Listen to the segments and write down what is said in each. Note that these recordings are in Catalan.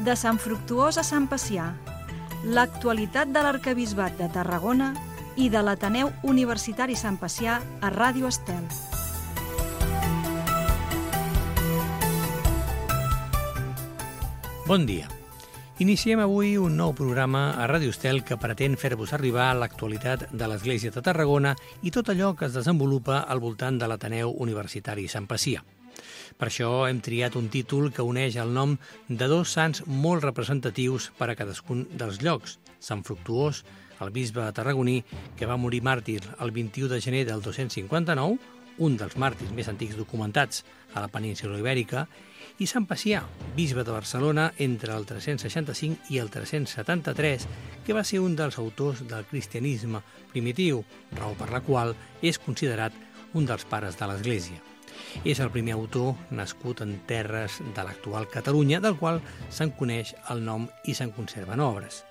De Sant Fructuós a Sant Pacià, l'actualitat de l'Arquebisbat de Tarragona i de l'Ateneu Universitari Sant Pacià a Ràdio Estel. Bon dia. Iniciem avui un nou programa a Ràdio Estel que pretén fer-vos arribar l'actualitat de l'Església de Tarragona i tot allò que es desenvolupa al voltant de l'Ateneu Universitari Sant Pacià. Per això hem triat un títol que uneix el nom de dos sants molt representatius per a cadascun dels llocs. Sant Fructuós, el bisbe tarragoní, que va morir màrtir el 21 de gener del 259, un dels màrtirs més antics documentats a la península Ibèrica, i Sant Pacià, bisbe de Barcelona entre el 365 i el 373, que va ser un dels autors del cristianisme primitiu, raó per la qual és considerat un dels pares de l'Església. És el primer autor nascut en terres de l'actual Catalunya, del qual se'n coneix el nom i se'n conserven obres.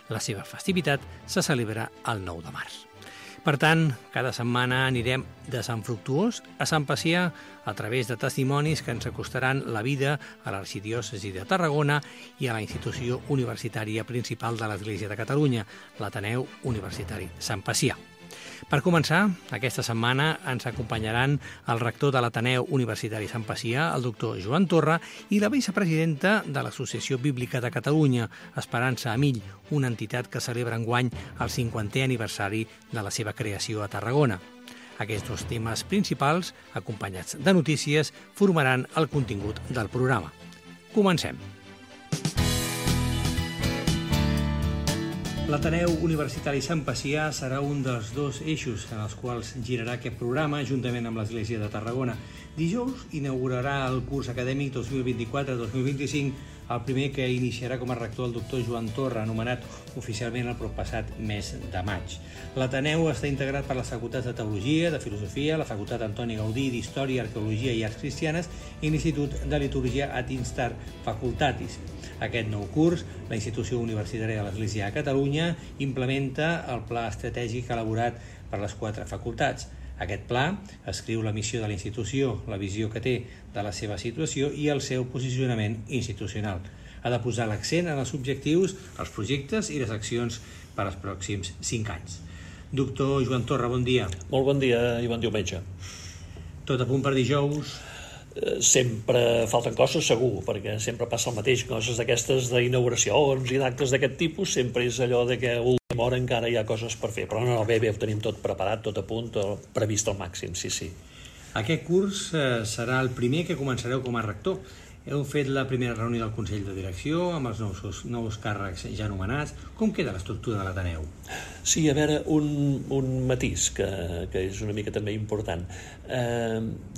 La seva festivitat se celebra el 9 de març. Per tant, cada setmana anirem de Sant Fructuós a Sant Pacià a través de testimonis que ens acostaran la vida a l'Arxidiòcesi de Tarragona i a la institució universitària principal de l'Església de Catalunya, l'Ateneu Universitari Sant Pacià. Per començar, aquesta setmana ens acompanyaran el rector de l'Ateneu Universitari Sant Pacià, el doctor Joan Torra, i la vicepresidenta de l'Associació Bíblica de Catalunya, Esperança Amill, una entitat que celebra enguany el 50è aniversari de la seva creació a Tarragona. Aquests dos temes principals, acompanyats de notícies, formaran el contingut del programa. Comencem. L'Ateneu Universitari Sant Pacià serà un dels dos eixos en els quals girarà aquest programa juntament amb l'Església de Tarragona. Dijous inaugurarà el curs acadèmic 2024-2025, el primer que iniciarà com a rector el doctor Joan Torra, anomenat oficialment el proppassat mes de maig. L'Ateneu està integrat per les facultats de Teologia, de Filosofia, la facultat Antoni Gaudí d'Història, Arqueologia i Arts Cristianes i l'Institut de Liturgia Ad Instar Facultatis. Aquest nou curs, la institució universitària de l'Església de Catalunya implementa el pla estratègic elaborat per les 4 facultats. Aquest pla escriu la missió de la institució, la visió que té de la seva situació i el seu posicionament institucional. Ha de posar l'accent en els objectius, els projectes i les accions per als pròxims 5 anys. Doctor Joan Torra, bon dia. Molt bon dia i bon diumenge. Tot a punt per dijous? Sempre falten coses, segur, perquè sempre passa el mateix. Coses d'aquestes d'inauguracions i d'actes d'aquest tipus, sempre és allò de que a última hora encara hi ha coses per fer. Però no, bé, ho tenim tot preparat, tot a punt, previst al màxim, sí. Aquest curs serà el primer que començareu com a rector. Heu fet la primera reunió del Consell de Direcció amb els nous càrrecs ja anomenats. Com queda l'estructura de l'Ateneu? Sí, a veure, un matís que és una mica també important.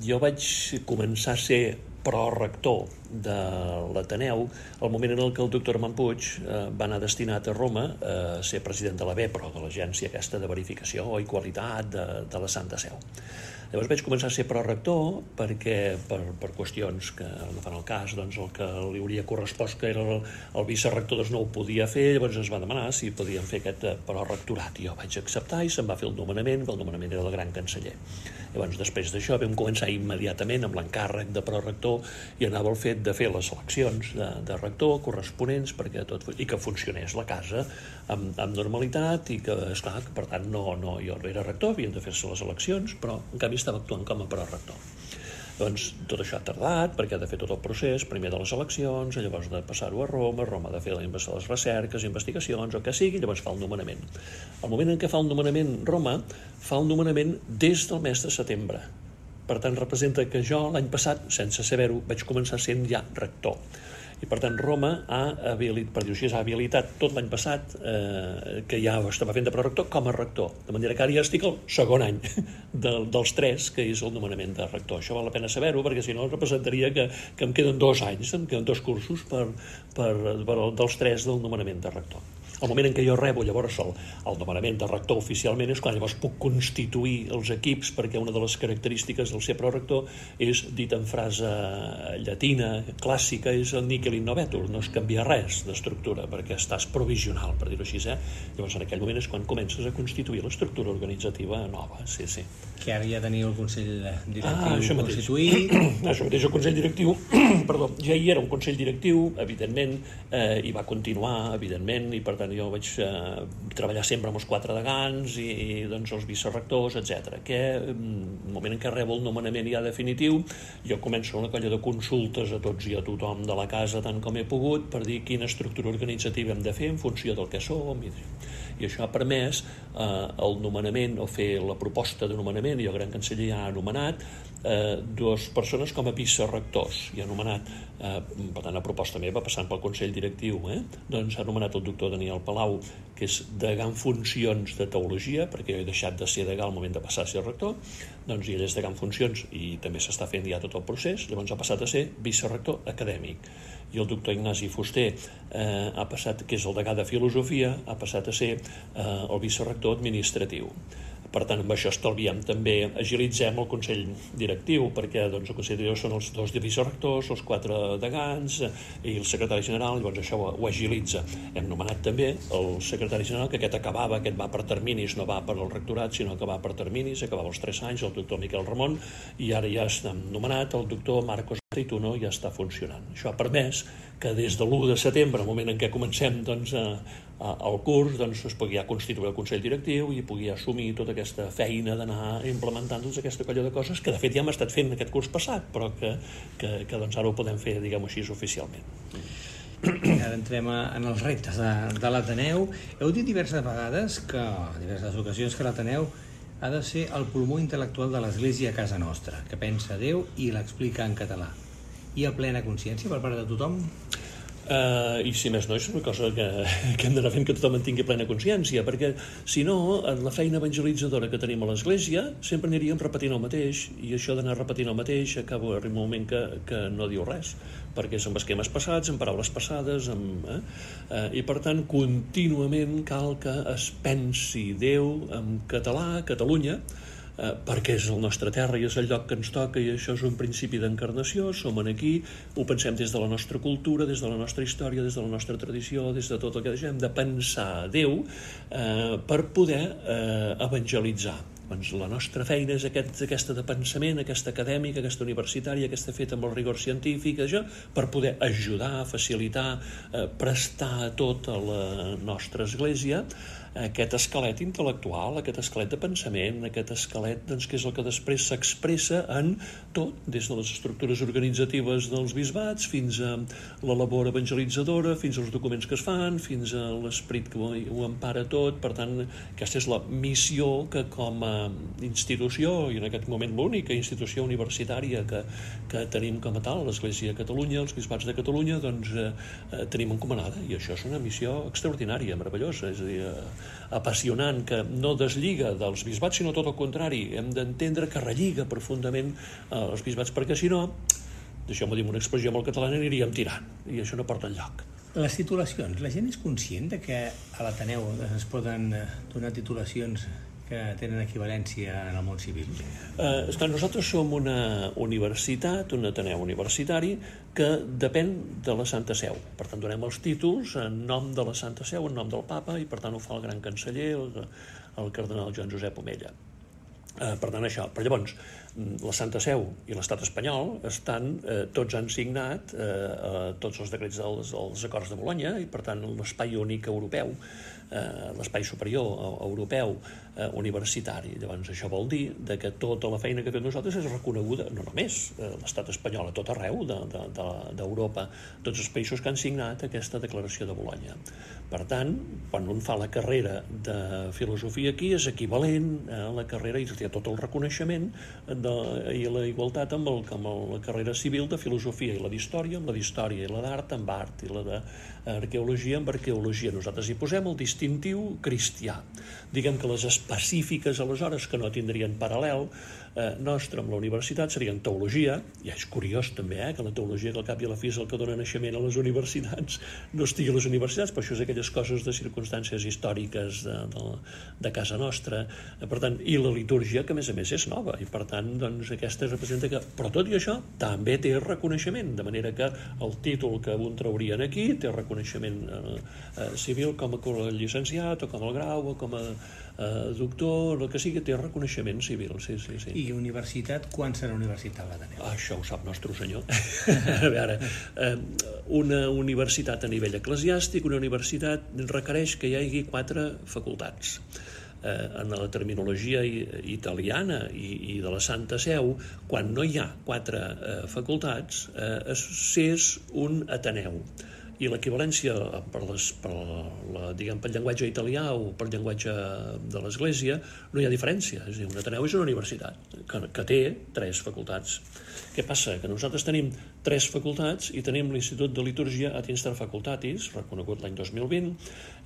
Jo vaig començar a ser prorector de l'Ateneu al moment en què el doctor Armand Puig va anar destinat a Roma a ser president de la BEPRO, de l'agència aquesta de verificació i qualitat de la Santa Seu. Llavors vaig començar a ser prorector perquè per qüestions que no fan el cas, doncs el que li hauria correspost, que era el vicerector, doncs no ho podia fer. Llavors es va demanar si podien fer aquest prorectorat. Jo vaig acceptar i se'n va fer el nomenament era el gran canceller. Llavors després d'això vam començar immediatament amb l'encàrrec de prorector i anava el fet de fer les eleccions de rector corresponents i que funcionés la casa amb normalitat i que, esclar, per tant, jo no era rector, havien de fer-se les eleccions, però en canvi estava actuant com a prorector. Doncs tot això ha tardat perquè ha de fer tot el procés, primer de les eleccions, llavors de passar-ho a Roma ha de fer les recerques, investigacions, o que sigui, llavors fa el nomenament. Al moment en què fa el nomenament Roma, fa el nomenament des del mes de setembre. Per tant, representa que jo l'any passat, sense saber-ho, vaig començar sent ja rector. I per tant Roma ha habilitat tot l'any passat que ja estava fent de prorector com a rector, de manera que ara ja estic al segon any dels 3 que és el nomenament de rector. Això val la pena saber-ho perquè si no representaria que em queden 2 anys, em queden 2 cursos dels 3 del nomenament de rector. el moment en què jo rebo llavors el nomenament de rector oficialment és quan llavors puc constituir els equips, perquè una de les característiques del ser prorector és, dit en frase llatina, clàssica, és el níquel in novetur, no es canvia res d'estructura, perquè estàs provisional, per dir-ho així. Llavors en aquell moment és quan comences a constituir l'estructura organitzativa nova. Sí. Que ara ja teniu el Consell Directiu constituït. Això mateix, el Consell Directiu, perdó, ja hi era un Consell Directiu, evidentment, i va continuar, evidentment, i per tant jo vaig treballar sempre amb els 4 degans i doncs els vicerectors, etc. Que el moment en què rebo el nomenament ja definitiu, jo començo una colla de consultes a tots i a tothom de la casa tant com he pogut per dir quina estructura organitzativa hem de fer en funció del que som, i això ha permès el nomenament o fer la proposta de nomenament. Jo, gran canceller, ja ha nomenat 2 persones com a vicerectors i ha nomenat, per tant, a proposta meva, passant pel Consell Directiu, doncs ha nomenat el doctor Daniel Palau, que és degà en funcions de teologia, perquè jo he deixat de ser degà al moment de passar a ser rector, doncs ell és degà en funcions i també s'està fent ja tot el procés, llavors ha passat a ser vicerector acadèmic. I el doctor Ignasi Fuster ha passat, que és el degà de filosofia, ha passat a ser el vicerector administratiu. Per tant, amb això estalviem també, agilitzem el Consell Directiu, perquè doncs, el Consell Directiu són els 2 vicerectors, els 4 degans i el secretari general, llavors això ho agilitza. Hem nomenat també el secretari general, que aquest va per terminis, no va per al rectorat, sinó que va per terminis, acabava els 3 anys, el doctor Miquel Ramon, i ara ja està nomenat el doctor Marcos Trituno, ja està funcionant. Això ha permès que des de l'1 de setembre, el moment en què comencem doncs, el curs, doncs, es pugui ja constituir el Consell Directiu i pugui assumir tota aquesta feina d'anar implementant tota aquesta colla de coses que de fet ja hem estat fent aquest curs passat, però que doncs, ara ho podem fer, diguem-ho així, oficialment. Ara entrem en els reptes de l'Ateneu. Heu dit diverses vegades, diverses ocasions, que l'Ateneu ha de ser el pulmó intel·lectual de l'Església a casa nostra, que pensa Déu i l'explica en català. Hi ha plena consciència per part de tothom? I si més no, és una cosa que hem d'anar fent que tothom en tingui plena consciència, perquè si no, en la feina evangelitzadora que tenim a l'Església sempre aniríem repetint el mateix, i això d'anar repetint el mateix acaba arribar un moment que no diu res, perquè és amb esquemes passats, amb paraules passades, i per tant contínuament cal que es pensi Déu en català, Catalunya, perquè és la nostra terra i és el lloc que ens toca, i això és un principi d'encarnació, som aquí, ho pensem des de la nostra cultura, des de la nostra història, des de la nostra tradició, des de tot el que hem de pensar Déu per poder evangelitzar. Doncs la nostra feina és aquesta de pensament, aquesta acadèmica, aquesta universitària, aquesta feta amb el rigor científic, això, per poder ajudar, facilitar, prestar a tota la nostra Església aquest esquelet intel·lectual, aquest esquelet de pensament, aquest esquelet doncs, que és el que després s'expressa en tot, des de les estructures organitzatives dels bisbats fins a la labor evangelitzadora, fins als documents que es fan, fins a l'esperit que ho empara tot. Per tant, aquesta és la missió que com a institució, i en aquest moment l'única institució universitària que tenim com a tal, l'Església de Catalunya, els bisbats de Catalunya, doncs tenim encomanada, i això és una missió extraordinària, meravellosa, és a dir, apassionant, que no deslliga dels bisbats, sinó tot el contrari. Hem d'entendre que relliga profundament els bisbats, perquè si no, deixeu-me dir una expressió molt catalana, aniríem tirant, i això no porta enlloc. Les titulacions, la gent és conscient de que a l'Ateneu es poden donar titulacions que tenen equivalència en el món civil? Esclar, nosaltres som una universitat, un Ateneu universitari, que depèn de la Santa Seu. Per tant, donem els títols en nom de la Santa Seu, en nom del Papa, i per tant ho fa el gran canceller, el cardenal Joan Josep Omella. Per tant, això. Però llavors, la Santa Seu i l'Estat espanyol tots han signat tots els decrets dels acords de Bolonya, i per tant l'espai únic europeu, l'espai superior europeu universitari. Llavors això vol dir que tota la feina que fem nosaltres és reconeguda, no només l'estat espanyol, a tot arreu d'Europa, tots els països que han signat aquesta declaració de Bolonya. Per tant, quan un fa la carrera de filosofia aquí, és equivalent a la carrera, i té tot el reconeixement i la igualtat amb la carrera civil de filosofia, i la d'història amb la d'història, i la d'art amb art, i la d'arqueologia amb arqueologia. Nosaltres hi posem el distintiu cristià. Diguem que les específiques, aleshores, que no tindrien paral·lel, nostre amb la universitat seria en teologia. Ja és curiós també que la teologia, que al cap i a la fi és el que dona naixement a les universitats, no estigui a les universitats, però això és aquelles coses de circumstàncies històriques de casa nostra. Per tant, i la litúrgia, que a més és nova, i per tant, doncs, aquesta representa que... Però tot i això també té reconeixement, de manera que el títol que un traurien aquí té reconeixement civil com a llicenciat, o com a grau, o com a doctor, el que sigui, té reconeixement civil, sí. I universitat, quan serà universitat l'Ateneu? Això ho sap nostre senyor. A veure, una universitat a nivell eclesiàstic, una universitat requereix que hi hagi 4 facultats. En la terminologia italiana i de la Santa Seu, quan no hi ha 4 facultats, és un Ateneu. I l'equivalència pel llenguatge italià o pel llenguatge de l'Església no hi ha diferència. És a dir, un Ateneu és una universitat que té 3 facultats. Què passa? Que nosaltres tenim 3 facultats i tenim l'Institut de Litúrgia ad Instar Facultatis, reconegut l'any 2020,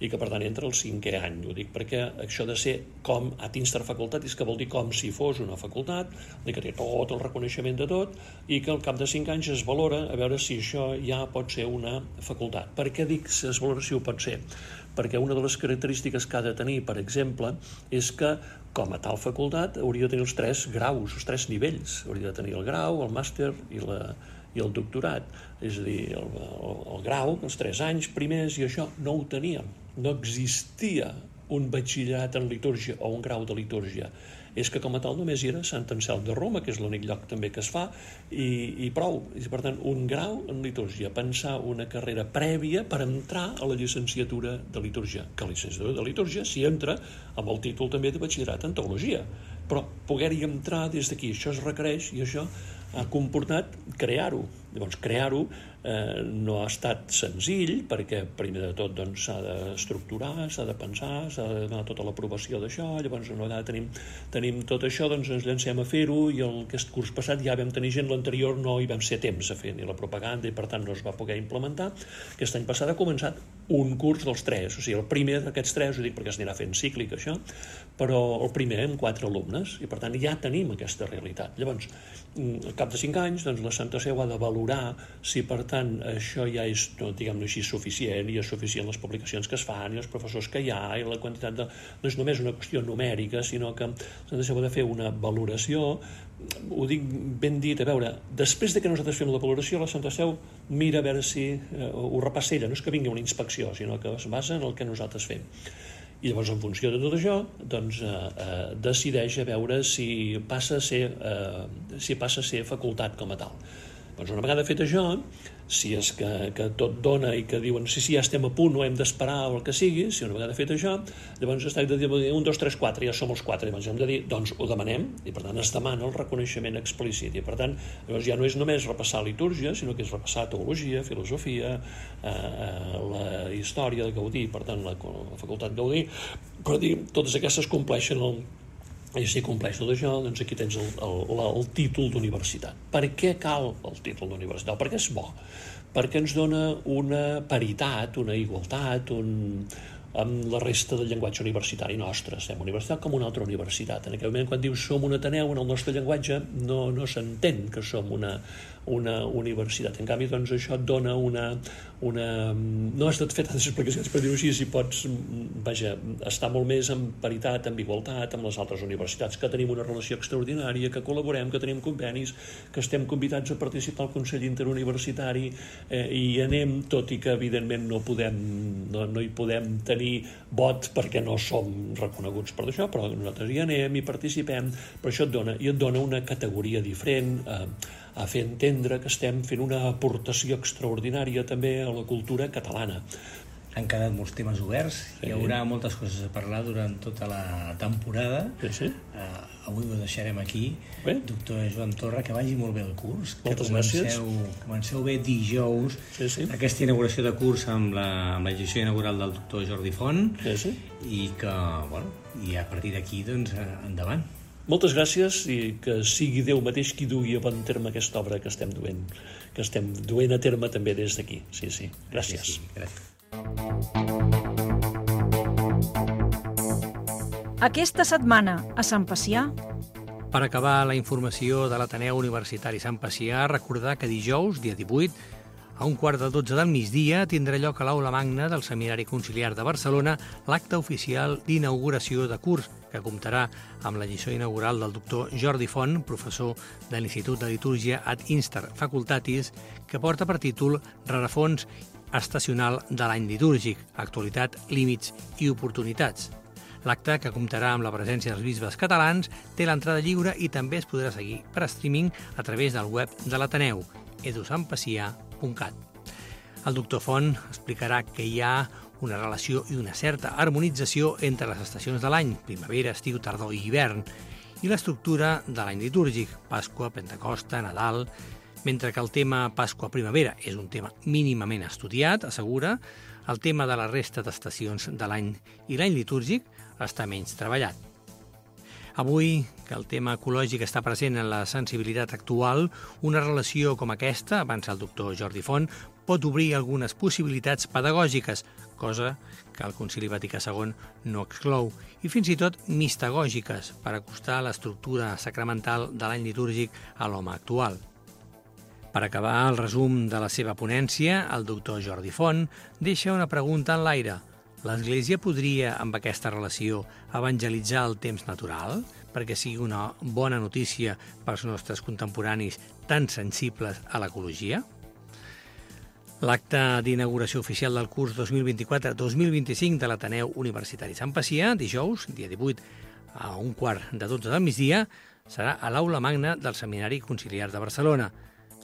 i que per tant entra el 5è any. Ho dic perquè això de ser com ad Instar Facultatis, que vol dir com si fos una facultat, que té tot el reconeixement de tot, i que al cap de 5 anys es valora a veure si això ja pot ser una facultat. Per què dic que es valora si ho pot ser? Perquè una de les característiques que ha de tenir, per exemple, és que com a tal facultat hauria de tenir els 3 graus, els 3 nivells. Hauria de tenir el grau, el màster i el doctorat. És a dir, el grau, els 3 anys primers, i això no ho teníem. No existia un batxillerat en litúrgia o un grau de litúrgia. És que com a tal només hi era Sant Anselm de Roma, que és l'únic lloc també que es fa, i prou. I per tant, un grau en litúrgia, pensar una carrera prèvia per entrar a la llicenciatura de litúrgia, que la llicenciatura de litúrgia s'hi entra amb el títol també de batxillerat en teologia, però poder-hi entrar des d'aquí, això es requereix, i això ha comportat crear-ho. Llavors, crear-ho no ha estat senzill, perquè primer de tot s'ha d'estructurar, s'ha de pensar, s'ha de donar tota l'aprovació d'això. Llavors, una vegada tenim tot això, doncs ens llancem a fer-ho, i aquest curs passat ja vam tenir gent, l'anterior no hi vam ser temps a fer ni la propaganda, i per tant no es va poder implementar. Aquest any passat ha començat un curs dels 3, o sigui, el primer d'aquests 3, ho dic perquè s'anirà fent cíclic això, però el primer amb 4 alumnes, i per tant ja tenim aquesta realitat. Llavors, al cap de 5 anys, doncs la Santa Seu ha de valorar si, per tant, això ja és, diguem-ne així, suficient, i és suficient les publicacions que es fan, i els professors que hi ha, i la quantitat de... No és només una qüestió numèrica, sinó que la Santa Seu ha de fer una valoració. Ho dic ben dit, a veure, després de que nosaltres fem la valoració, la Santa Seu mira a veure si ho repassa ella, no és que vingui una inspecció, sinó que es basa en el que nosaltres fem. I llavors, en funció de tot això, doncs, decideix a veure si passa a ser facultat com a tal. Doncs una vegada fet això, si és que tot dona i que diuen sí, ja estem a punt, no hem d'esperar o el que sigui, si una vegada fet això, llavors es tracta de dir 1, 2, 3, 4, ja som els 4, llavors hem de dir, doncs ho demanem, i per tant es demana el reconeixement explícit, i per tant llavors ja no és només repassar litúrgia, sinó que és repassar teologia, filosofia, la història de Gaudí, per tant la facultat Gaudí, però totes aquestes compleixen i si compleix tot això, doncs aquí tens el títol d'universitat. Per què cal el títol d'universitat? Perquè és bo, perquè ens dona una paritat, una igualtat, amb la resta del llenguatge universitari nostre. Estem universitat com una altra universitat. En aquell moment, quan dius som un Ateneu, en el nostre llenguatge no s'entén que som una universitat. En canvi, doncs, això et dona no has de fer tantes explicacions per dir-ho així, si pots, estar molt més en paritat, en igualtat amb les altres universitats, que tenim una relació extraordinària, que col·laborem, que tenim convenis, que estem convidats a participar al Consell Interuniversitari, i anem, tot i que evidentment no hi podem tenir vot perquè no som reconeguts per això, però nosaltres hi anem i participem, però això et dona una categoria diferent, a fer entendre que estem fent una aportació extraordinària també a la cultura catalana. Han quedat molts temes oberts, hi haurà moltes coses a parlar durant tota la temporada. Sí. Avui ho deixarem aquí. Bé. Doctor Joan Torra, que vagi molt bé el curs. Moltes gràcies. Comenceu bé dijous, aquesta inauguració de curs amb la llegeixó inaugural del doctor Jordi Font, i que, i a partir d'aquí, doncs, endavant. Moltes gràcies, i que sigui Déu mateix qui dugui a bon terme aquesta obra que estem duent a terme també des d'aquí. Sí. Gràcies. Gràcies. Aquesta setmana a Sant Pacià, Per acabar la informació de l'Ateneu Universitari Sant Pacià, recordar que dijous, dia 18, a 11:45 del migdia, tindrà lloc a l'Aula Magna del Seminari Conciliar de Barcelona l'acte oficial d'inauguració de curs, que comptarà amb la lliçó inaugural del doctor Jordi Font, professor de l'Institut de Litúrgia ad Instar Facultatis, que porta per títol Rerefons estacional de l'any litúrgic, actualitat, límits i oportunitats. L'acte, que comptarà amb la presència dels bisbes catalans, té l'entrada lliure i també es podrà seguir per streaming a través del web de l'Ateneu, edusampacià.cat. El doctor Font explicarà que hi ha una relació i una certa harmonització entre les estacions de l'any, primavera, estiu, tardor i hivern, i l'estructura de l'any litúrgic, Pasqua, Pentecosta, Nadal. Mentre que el tema Pasqua-Primavera és un tema mínimament estudiat, assegura, el tema de la resta d'estacions de l'any i l'any litúrgic està menys treballat. Avui, que el tema ecològic està present en la sensibilitat actual, una relació com aquesta, avança el doctor Jordi Font, pot obrir algunes possibilitats pedagògiques, cosa que el Concili Vaticà II no exclou, i fins i tot mistagògiques, per acostar l'estructura sacramental de l'any litúrgic a l'home actual. Per acabar el resum de la seva ponència, el doctor Jordi Font deixa una pregunta en l'aire. L'Església podria, amb aquesta relació, evangelitzar el temps natural perquè sigui una bona notícia pels nostres contemporanis tan sensibles a l'ecologia? L'acte d'inauguració oficial del curs 2024-2025 de l'Ateneu Universitari Sant Pacià, dijous, dia 18, a 11:45 del migdia, serà a l'Aula Magna del Seminari Conciliar de Barcelona,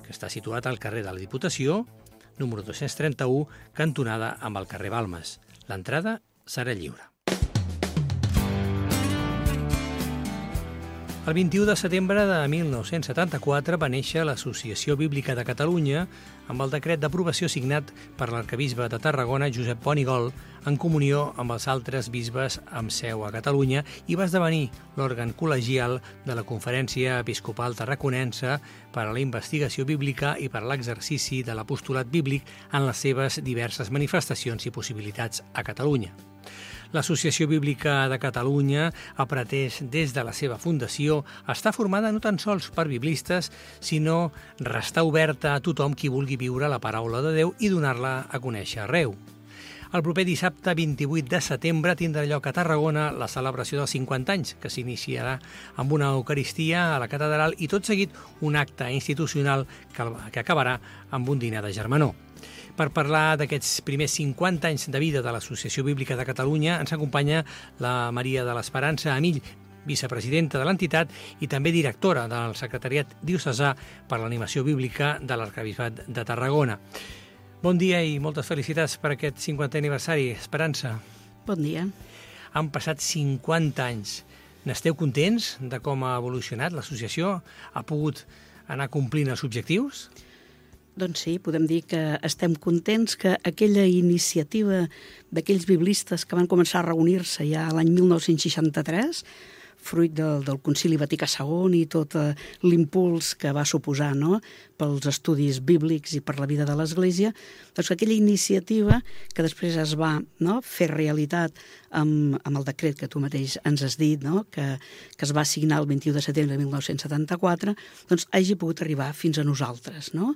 que està situat al carrer de la Diputació, número 231, cantonada amb el carrer Balmes. L'entrada serà lliure. El 21 de setembre de 1974 va néixer l'Associació Bíblica de Catalunya amb el decret d'aprovació signat per l'arquebisbe de Tarragona, Josep Pont i Gol, en comunió amb els altres bisbes amb seu a Catalunya, i va esdevenir l'òrgan col·legial de la Conferència Episcopal Tarraconense per a la investigació bíblica i per a l'exercici de l'apostolat bíblic en les seves diverses manifestacions i possibilitats a Catalunya. L'Associació Bíblica de Catalunya ha pretès des de la seva fundació estar formada no tan sols per biblistes, sinó restar oberta a tothom qui vulgui viure la paraula de Déu i donar-la a conèixer arreu. El proper dissabte 28 de setembre tindrà lloc a Tarragona la celebració dels 50 anys, que s'iniciarà amb una eucaristia a la catedral i tot seguit un acte institucional que acabarà amb un dinar de germanor. Per parlar d'aquests primers 50 anys de vida de l'Associació Bíblica de Catalunya ens acompanya la Maria de l'Esperança Amill, vicepresidenta de l'entitat i també directora del Secretariat Diocesà per l'Animació Bíblica de l'Arquebisbat de Tarragona. Bon dia i moltes felicitats per aquest 50è aniversari, Esperança. Bon dia. Han passat 50 anys. N'esteu contents de com ha evolucionat l'associació? Ha pogut anar complint els objectius? Doncs sí, podem dir que estem contents que aquella iniciativa d'aquells biblistes que van començar a reunir-se ja l'any 1963, fruit del Concili Vaticà II i tot l'impuls que va suposar, no?, pels estudis bíblics i per la vida de l'Església, doncs aquella iniciativa que després es va, no?, fer realitat amb el decret que tu mateix ens has dit, no?, que es va signar el 21 de setembre de 1974, doncs hagi pogut arribar fins a nosaltres, no?,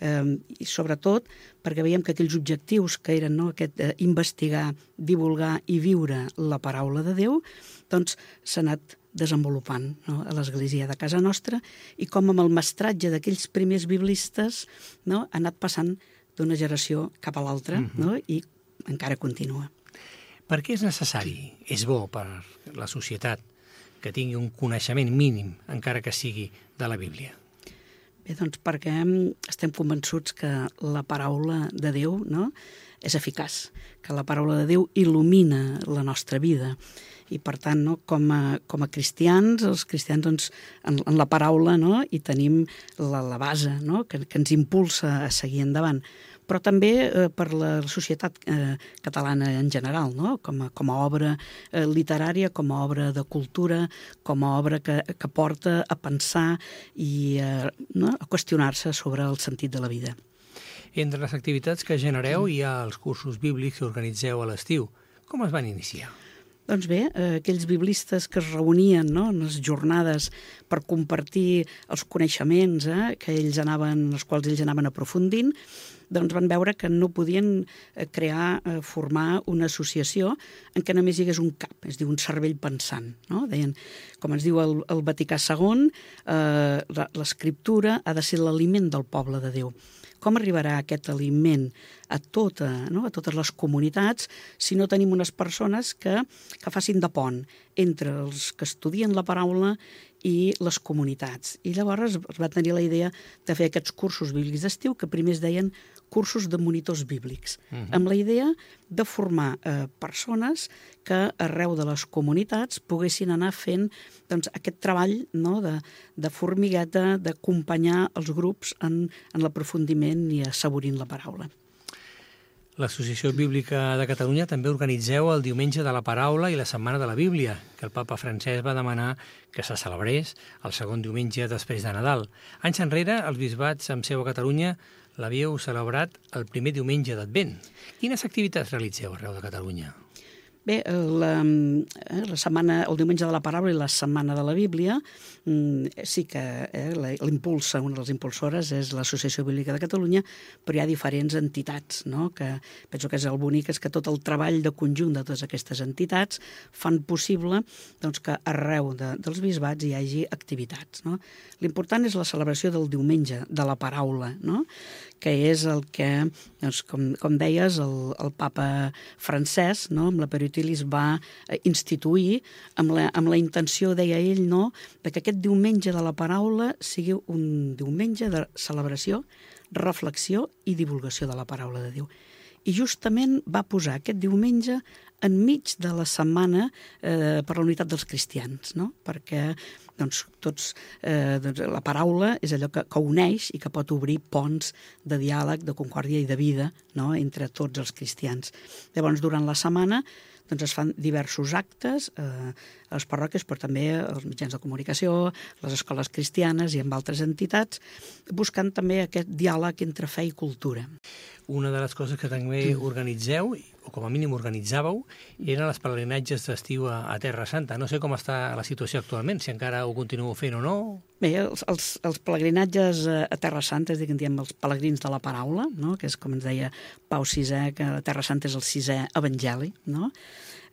i sobretot perquè veiem que aquells objectius que eren, no, aquest investigar, divulgar i viure la paraula de Déu, doncs s'ha anat desenvolupant, no, a l'Església de casa nostra, i com amb el mestratge d'aquells primers biblistes, no, ha anat passant d'una generació cap a l'altra, no, i encara continua. Per què és necessari, és bo per la societat, que tingui un coneixement mínim, encara que sigui de la Bíblia? Bé, doncs perquè estem convençuts que la paraula de Déu, no, és eficaç, que la paraula de Déu il·lumina la nostra vida. I per tant, no, com a cristians, els cristians doncs, en la paraula, no, hi tenim la base, no, que ens impulsa a seguir endavant. Però també per la societat catalana en general, no? Com a obra literària, com a obra de cultura, com a obra que porta a pensar i no? A qüestionar-se sobre el sentit de la vida. Entre les activitats que genereu hi ha els cursos bíblics que organitzeu a l'estiu. Com es van iniciar? Doncs bé, aquells biblistes que es reunien, no?, en les jornades per compartir els coneixements els quals ells anaven aprofundint, doncs van veure que no podien formar una associació en què només hi hagués un cap, es diu un cervell pensant, no? Deien, com ens diu el Vaticà II, l'escriptura ha de ser l'aliment del poble de Déu. Com arribarà aquest aliment a totes les comunitats si no tenim unes persones que facin de pont entre els que estudien la paraula i les comunitats? I llavors es va tenir la idea de fer aquests cursos bíblics d'estiu que primer es deien cursos de monitors bíblics, amb la idea de formar persones que arreu de les comunitats poguessin anar fent aquest treball de formigueta, d'acompanyar els grups en l'aprofundiment i assaborint la paraula. L'Associació Bíblica de Catalunya també organitzeu el Diumenge de la Paraula i la Setmana de la Bíblia, que el papa Francesc va demanar que se celebrés el segon diumenge després de Nadal. Anys enrere, els bisbats amb seu a Catalunya l'havíeu celebrat el primer diumenge d'Advent. Quines activitats realitzeu arreu de Catalunya? Bé, la setmana, el Diumenge de la Paraula i la Setmana de la Bíblia, sí que l'impulsa, una de les impulsores és l'Associació Bíblica de Catalunya, però hi ha diferents entitats, no? Que penso que és el bonic, és que tot el treball de conjunt de totes aquestes entitats fan possible que arreu dels bisbats hi hagi activitats, no? L'important és la celebració del Diumenge de la Paraula, no?, que és el que, com deies, el papa Francesc, no?, amb la Periutilis va instituir amb la intenció, deia ell, no?, que aquest diumenge de la paraula sigui un diumenge de celebració, reflexió i divulgació de la paraula de Déu. I justament va posar aquest diumenge enmig de la setmana per la unitat dels cristians, no?, perquè la paraula és allò que uneix i que pot obrir ponts de diàleg, de concòrdia i de vida, no?, entre tots els cristians. Llavors, durant la setmana es fan diversos actes a les parròquies, però també als mitjans de comunicació, les escoles cristianes i amb altres entitats, buscant també aquest diàleg entre fe i cultura. Una de les coses que també organitzeu, o com a mínim organitzàveu, eren els pelegrinatges d'estiu a Terra Santa. No sé com està la situació actualment, si encara ho continueu fent o no. Bé, els pelegrinatges a Terra Santa, és a dir, que en diem els pelegrins de la paraula, no?, que és com ens deia Pau VI, que Terra Santa és el 6è evangeli, no?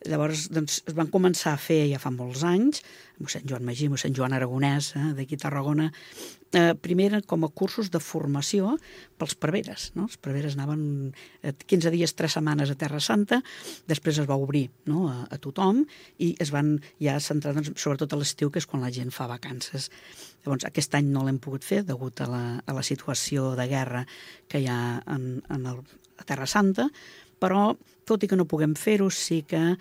Llavors, es van començar a fer ja fa molts anys, mossèn Joan Magí, mossèn Joan Aragonès, d'aquí a Tarragona, primer com a cursos de formació pels preveres, no? Els preveres anaven 15 dies, 3 setmanes a Terra Santa, després es va obrir, no?, a tothom i es van ja centrar sobretot a l'estiu, que és quan la gent fa vacances. Llavors, aquest any no l'hem pogut fer degut a la situació de guerra que hi ha a Terra Santa, però tot i que no puguem fer-ho, sí que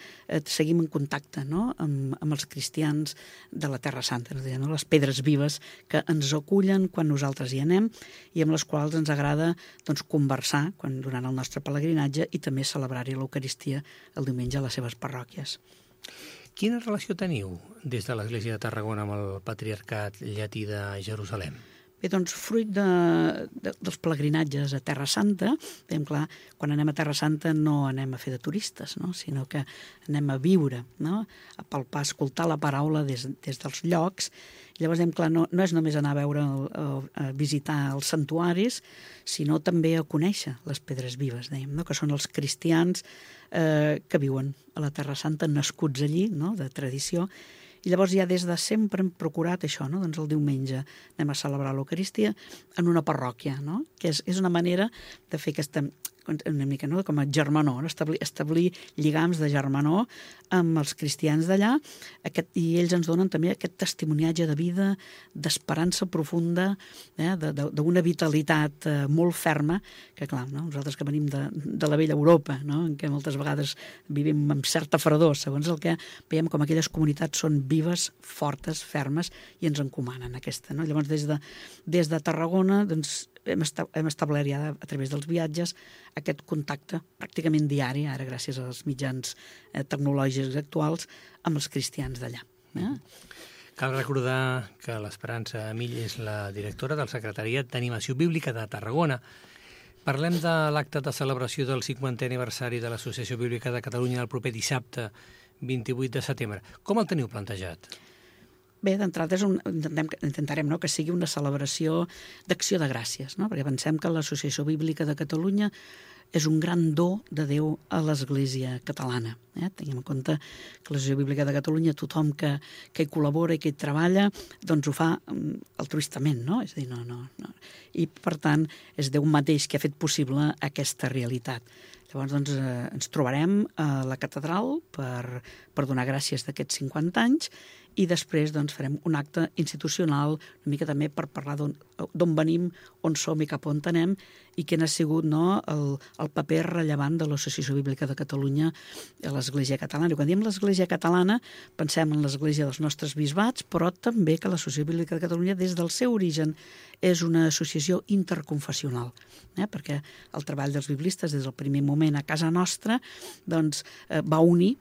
seguim en contacte, no?, amb els cristians de la Terra Santa, no?, les pedres vives que ens acullen quan nosaltres hi anem i amb les quals ens agrada conversar durant el nostre pelegrinatge i també celebrar-hi l'Eucaristia el diumenge a les seves parròquies. Quina relació teniu des de l'Església de Tarragona amb el Patriarcat Llatí de Jerusalem? Bé, doncs, fruit dels pelegrinatges a Terra Santa, veiem clar, quan anem a Terra Santa no anem a fer de turistes, no?, sinó que anem a viure, no?, a palpar, a escoltar la paraula des dels llocs. Llavors, clar, no és només anar a veure, a visitar els santuaris, sinó també a conèixer les pedres vives, dèiem, no?, que són els cristians que viuen a la Terra Santa, nascuts allí, no?, de tradició. I llavors ja des de sempre hem procurat això, no?, doncs el diumenge anem a celebrar l'Eucaristia en una parròquia, no?, que és una manera de fer aquesta, una mica, no?, com a germanor, establir lligams de germanor amb els cristians d'allà, i ells ens donen també aquest testimoniatge de vida, d'esperança profunda, d'una vitalitat molt ferma, que clar, no?, nosaltres que venim de la vella Europa, no?, en què moltes vegades vivim amb certa fredor, segons el que veiem com aquelles comunitats són vives, fortes, fermes, i ens encomanen aquesta, no? Llavors, des de Tarragona, doncs, hem establert ja a través dels viatges aquest contacte pràcticament diari, ara gràcies als mitjans tecnològics actuals, amb els cristians d'allà. Cal recordar que l'Esperança Mill és la directora del Secretariat d'Animació Bíblica de Tarragona. Parlem de l'acte de celebració del 50è aniversari de l'Associació Bíblica de Catalunya el proper dissabte 28 de setembre. Com el teniu plantejat? Bé, d'entrada intentarem que sigui una celebració d'acció de gràcies, no? Perquè pensem que l'Associació Bíblica de Catalunya és un gran do de Déu a l'Església catalana. Tenim en compte que l'Associació Bíblica de Catalunya, tothom que hi col·labora i que hi treballa, doncs ho fa altruistament, no? És a dir, no. I, per tant, és Déu mateix que ha fet possible aquesta realitat. Llavors, doncs, ens trobarem a la catedral per donar gràcies d'aquests 50 anys i després doncs, farem un acte institucional, una mica també per parlar d'on venim, on som i cap on anem i quin ha sigut el paper rellevant de l'Associació Bíblica de Catalunya a l'Església Catalana. I quan diem l'Església Catalana pensem en l'Església dels nostres bisbats, però també que l'Associació Bíblica de Catalunya des del seu origen és una associació interconfessional, perquè el treball dels biblistes des del primer moment a casa nostra doncs, va unir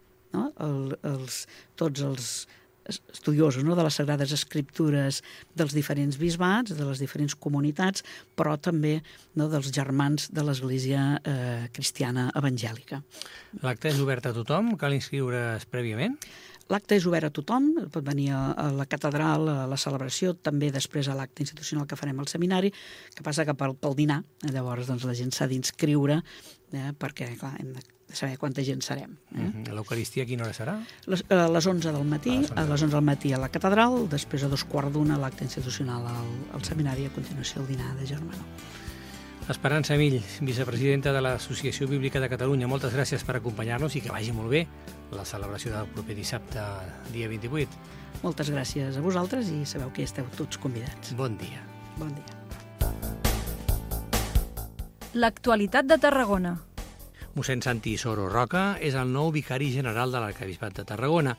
tots els estudiosos de les Sagrades Escriptures dels diferents bisbats, de les diferents comunitats, però també dels germans de l'Església cristiana evangèlica. L'acte és obert a tothom? Cal inscriure's prèviament? L'acte és obert a tothom, pot venir a la catedral, a la celebració, també després a l'acte institucional que farem al seminari, que passa que pel dinar, llavors doncs, la gent s'ha d'inscriure, perquè clar, hem de saber quanta gent serem. L'Eucaristia a quina hora serà? A les 11 del matí, a les 11 del matí a la catedral, després a 2:15 l'acte institucional al seminari, a continuació el dinar de germanor. Esperança Mill, vicepresidenta de l'Associació Bíblica de Catalunya, moltes gràcies per acompanyar-nos i que vagi molt bé la celebració del proper dissabte, dia 28. Moltes gràcies a vosaltres i sabeu que esteu tots convidats. Bon dia. Bon dia. L'actualitat de Tarragona. Mossèn Santi Soro Roca és el nou vicari general de l'Arquebisbat de Tarragona.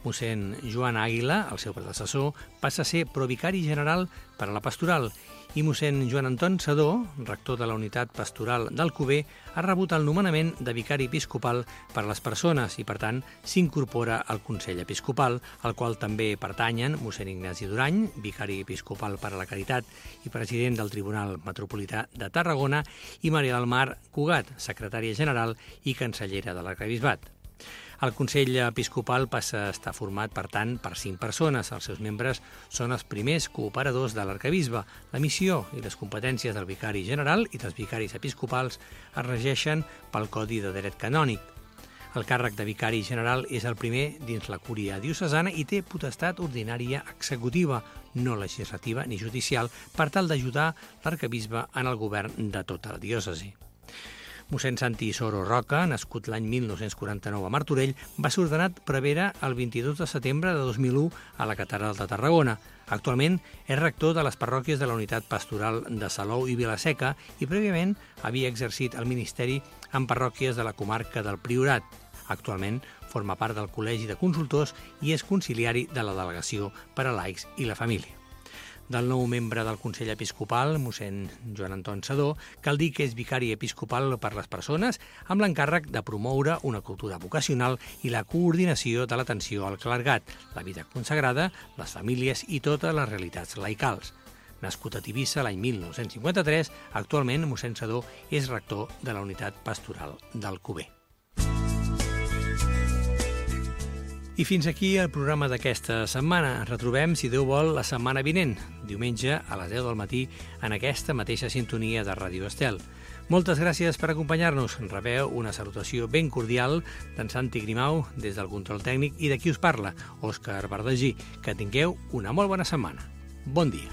Mossèn Joan Àguila, el seu predecessor, passa a ser provicari general per a la pastoral i mossèn Joan Anton Sedó, rector de la unitat pastoral d'Alcover, ha rebut el nomenament de vicari episcopal per a les persones i, per tant, s'incorpora al Consell Episcopal, al qual també pertanyen mossèn Ignasi Durany, vicari episcopal per a la Caritat i president del Tribunal Metropolità de Tarragona, i Maria del Mar Cugat, secretària general i cancellera de l'Arquebisbat. El Consell Episcopal passa a estar format, per tant, per 5 persones. Els seus membres són els primers cooperadors de l'arquebisbe. La missió i les competències del vicari general i dels vicaris episcopals es regeixen pel Codi de Dret Canònic. El càrrec de vicari general és el primer dins la cúria diocesana i té potestat ordinària executiva, no legislativa ni judicial, per tal d'ajudar l'arquebisbe en el govern de tota la diòcesi. Mossèn Santi Soro Roca, nascut l'any 1949 a Martorell, va ser ordenat prevere el 22 de setembre de 2001 a la Catedral de Tarragona. Actualment és rector de les parròquies de la unitat pastoral de Salou i Vilaseca i prèviament havia exercit el ministeri en parròquies de la comarca del Priorat. Actualment forma part del Col·legi de Consultors i és conciliari de la Delegació per a Laics i la Família. Del nou membre del Consell Episcopal, mossèn Joan Anton Sedó, cal dir que és vicari episcopal per les persones amb l'encàrrec de promoure una cultura vocacional i la coordinació de l'atenció al clergat, la vida consagrada, les famílies i totes les realitats laicals. Nascut a Tivissa l'any 1953, actualment mossèn Sedó és rector de la unitat pastoral d'Alcover. I fins aquí el programa d'aquesta setmana. Ens retrobem, si Déu vol, la setmana vinent, diumenge a les 10 del matí, en aquesta mateixa sintonia de Ràdio Estel. Moltes gràcies per acompanyar-nos. Rebeu una salutació ben cordial d'en Santi Grimau des del control tècnic i de qui us parla, Òscar Verdagí. Que tingueu una molt bona setmana. Bon dia.